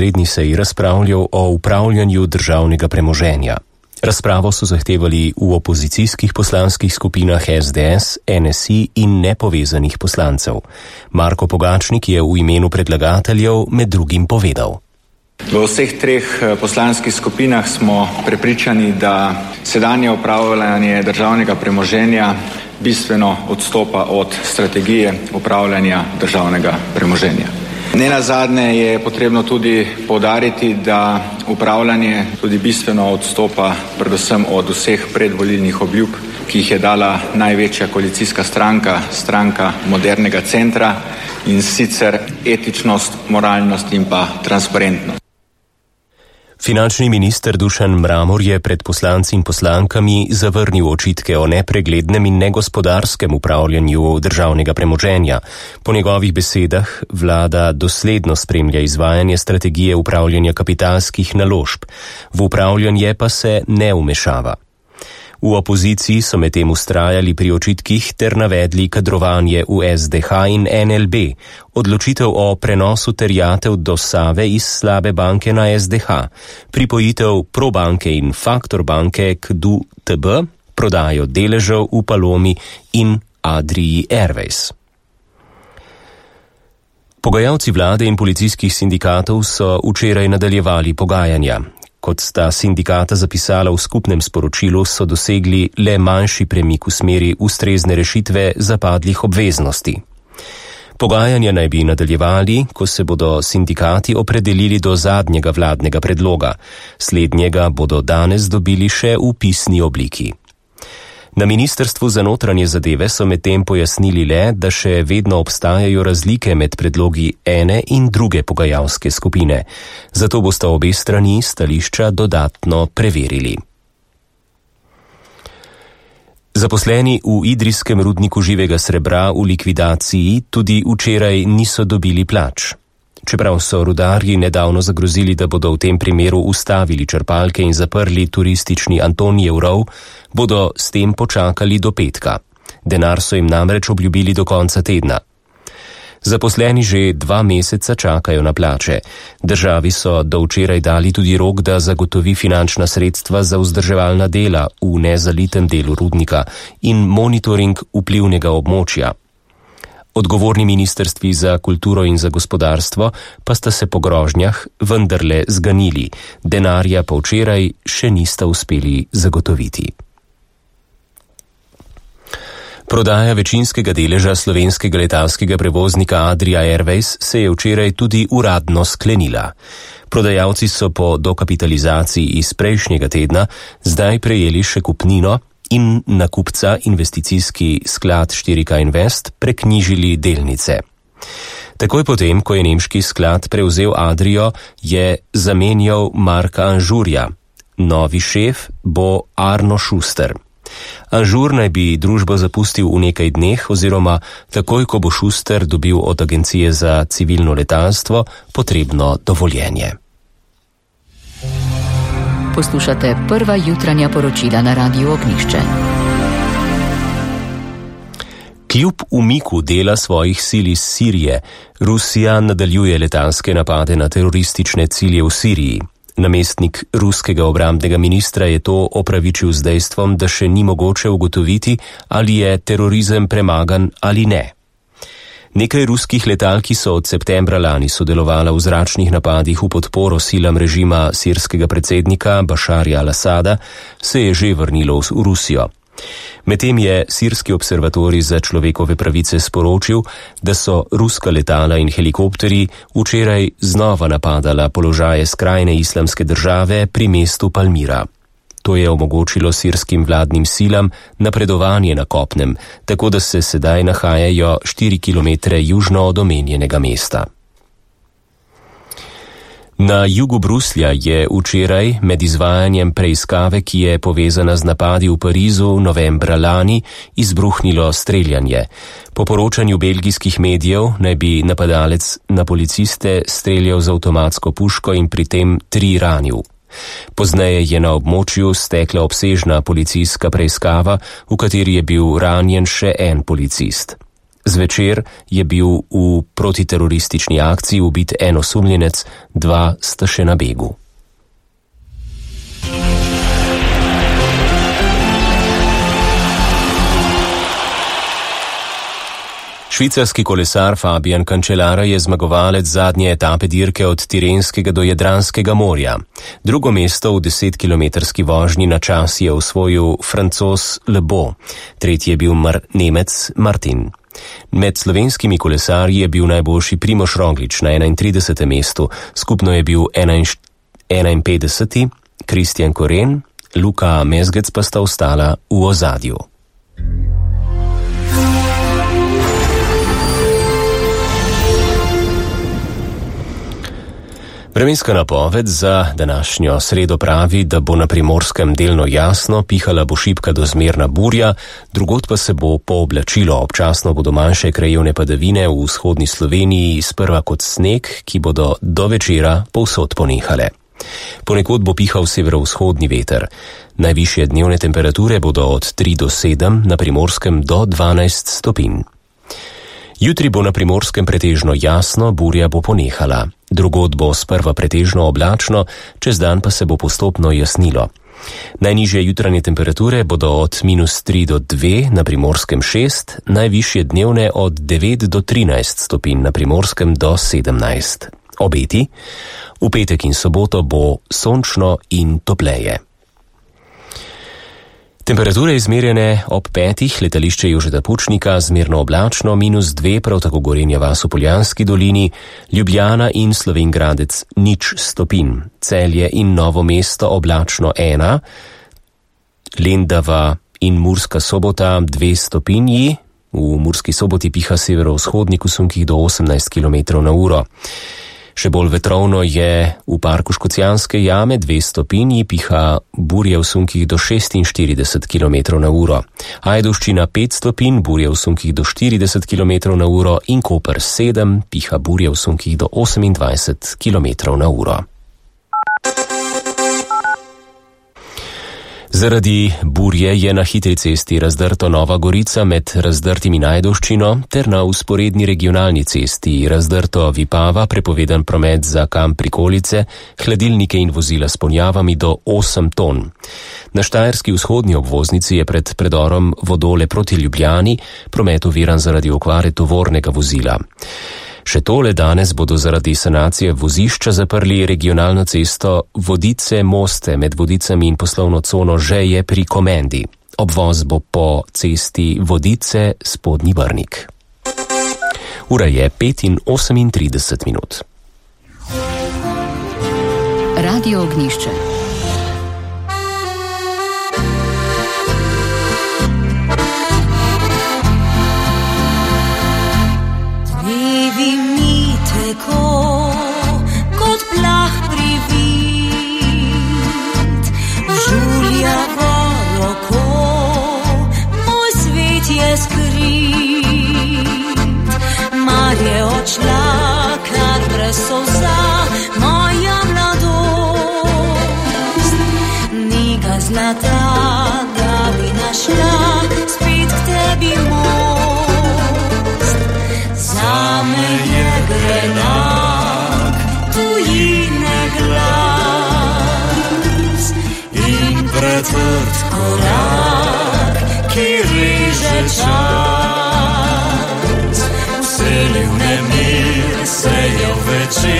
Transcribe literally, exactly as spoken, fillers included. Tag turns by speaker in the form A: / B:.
A: redni seji razpravljal o upravljanju državnega premoženja. Razpravo so zahtevali v opozicijskih poslanskih skupinah S D S, N S I in nepovezanih poslancev. Marko Pogačnik je v imenu predlagateljev med drugim povedal.
B: V vseh treh poslanskih skupinah smo prepričani, da sedanje upravljanje državnega premoženja bistveno odstopa od strategije upravljanja državnega premoženja. Nenazadnje je potrebno tudi poudariti, da upravljanje tudi bistveno odstopa predvsem od vseh predvolilnih obljub, ki jih je dala največja koalicijska stranka, stranka modernega centra, in sicer etičnost, moralnost in pa transparentnost.
A: Finančni minister Dušan Mramor je pred poslanci in poslankami zavrnil očitke o nepreglednem in negospodarskem upravljanju državnega premoženja. Po njegovih besedah vlada dosledno spremlja izvajanje strategije upravljanja kapitalskih naložb, v upravljanje pa se ne vmešava. V opoziciji so medtem vztrajali pri očitkih ter navedli kadrovanje v S D H in N L B, odločitev o prenosu terjatev do Save iz slabe banke na S D H, pripojitev Probanke in Faktor banke k D U T B, prodajo deležev v Palomi in Adrii Airways. Pogajalci vlade in policijskih sindikatov so včeraj nadaljevali pogajanja. Kot sta sindikata zapisala v skupnem sporočilu, so dosegli le manjši premik v smeri ustrezne rešitve zapadlih obveznosti. Pogajanja naj bi nadaljevali, ko se bodo sindikati opredelili do zadnjega vladnega predloga. Slednjega bodo danes dobili še v pisni obliki. Na Ministrstvu za notranje zadeve so medtem pojasnili le, da še vedno obstajajo razlike med predlogi ene in druge pogajalske skupine. Zato bosta obe strani stališča dodatno preverili. Zaposleni v idrijskem rudniku živega srebra v likvidaciji tudi včeraj niso dobili plač. Čeprav so rudarji nedavno zagrozili, da bodo v tem primeru ustavili črpalke in zaprli turistični Antonijev rov, bodo s tem počakali do petka. Denar so jim namreč obljubili do konca tedna. Zaposleni že dva meseca čakajo na plače. Državi so do včeraj dali tudi rok, da zagotovi finančna sredstva za vzdrževalna dela v nezalitem delu rudnika in monitoring vplivnega območja. Odgovorni ministrstvi za kulturo in za gospodarstvo pa sta se po grožnjah vendarle zganili, denarja pa včeraj še nista uspeli zagotoviti. Prodaja večinskega deleža slovenskega letalskega prevoznika Adria Airways se je včeraj tudi uradno sklenila. Prodajalci so po dokapitalizaciji iz prejšnjega tedna zdaj prejeli še kupnino in na kupca investicijski sklad štiri K Invest preknjižili delnice. Takoj potem, ko je nemški sklad prevzel Adrio, je zamenjal Marka Anžurja. Novi šef bo Arno Schuster. Anžur naj bi družbo zapustil v nekaj dneh oziroma takoj, ko bo Schuster dobil od Agencije za civilno letalstvo potrebno dovoljenje.
C: Poslušate prva jutranja poročila na Radiu Ognjišče.
A: Kljub umiku dela svojih sil iz Sirije, Rusija nadaljuje letalske napade na teroristične cilje v Siriji. Namestnik ruskega obrambnega ministra je to opravičil z dejstvom, da še ni mogoče ugotoviti, ali je terorizem premagan ali ne. Nekaj ruskih letal, ki so od septembra lani sodelovala v zračnih napadih v podporo silam režima sirskega predsednika Bašarja al-Asada, se je že vrnilo v Rusijo. Medtem je sirski observatorij za človekove pravice sporočil, da so ruska letala in helikopterji včeraj znova napadala položaje skrajne islamske države pri mestu Palmira. To je omogočilo sirskim vladnim silam napredovanje na kopnem, tako da se sedaj nahajajo štiri kilometre južno od omenjenega mesta. Na jugu Bruslja je včeraj med izvajanjem preiskave, ki je povezana z napadi v Parizu novembra lani, izbruhnilo streljanje. Po poročanju belgijskih medijev naj bi napadalec na policiste streljal z avtomatsko puško in pri tem tri ranil. Pozneje je na območju stekla obsežna policijska preiskava, v kateri je bil ranjen še en policist. Zvečer je bil v protiteroristični akciji ubit en osumljenec, dva sta še na begu. Švicarski kolesar Fabian Cancellara je zmagovalec zadnje etape dirke od Tirenskega do Jadranskega morja. Drugo mesto v desetkilometrski vožnji na čas je osvojil Francoz Le Beau, tretji je bil Mar- Nemec Martin. Med slovenskimi kolesarji je bil najboljši Primož Roglič na enaintridesetem mestu, skupno je bil enainpetdeseti, Kristjan Koren, Luka Mezgec pa sta ostala v ozadju. Vremenska napoved za današnjo sredo pravi, da bo na Primorskem delno jasno, pihala bo šibka do zmerna burja, drugod pa se bo pooblačilo, občasno bodo manjše krajevne padavine v vzhodni Sloveniji, sprva kot sneg, ki bodo do večera povsod ponehale. Ponekod bo pihal severovzhodni veter. Najvišje dnevne temperature bodo od tri do sedem, na Primorskem do dvanajst stopinj. Jutri bo na Primorskem pretežno jasno, burja bo ponehala. Drugod bo sprva pretežno oblačno, čez dan pa se bo postopno jasnilo. Najnižje jutranje temperature bodo od minus tri do dve, na Primorskem šest, najvišje dnevne od devet do trinajst stopinj, na Primorskem do sedemnajst. Obeti? V petek in soboto bo sončno in topleje. Temperature izmerjene ob petih, letališče Jožeta Pučnika, zmerno oblačno, minus dve, prav tako Gorenja vas v Poljanski dolini, Ljubljana in Slovenj Gradec nič stopinj, Celje in Novo mesto oblačno ena, Lendava in Murska Sobota dve stopinji, v Murski Soboti piha severovzhodnik v sunkih do osemnajst kilometrov na uro. Še bolj vetrovno je v parku Škocjanske jame, dve stopinji, piha burje v sunkih do šestinštirideset kilometrov na uro. Ajdovščina pet stopinj, burje v sunkih do štirideset kilometrov na uro in Koper sedem, piha burje v sunkih do osemindvajset kilometrov na uro. Zaradi burje je na hitri cesti Razdrto Nova Gorica med Razdrtim in Ajdovščino ter na usporedni regionalni cesti Razdrto Vipava prepovedan promet za kamp Prikolice, hladilnike in vozila s ponjavami do osem ton. Na štajerski vzhodni obvoznici je pred predorom Vodole proti Ljubljani promet oviran zaradi okvare tovornega vozila. Še tole, danes bodo zaradi sanacije vozišča zaprli regionalno cesto Vodice-Moste med Vodicami in poslovno cono Žeje pri Komendi. Obvoz bo po cesti Vodice-Spodnji Brnik. Ura je pet in osemintrideset minut.
C: Radio Ognjišče.
D: Kot plah privid, žuljavo roko, moj svet je skrit. Mar je odšla, kar brez solza, moja mladost. Ni ga zlata, da bi našla spet k tebi most. Zame je grenak tujine glas in pretrd korak, ki reže čas. Vseljiv nemir se je v večer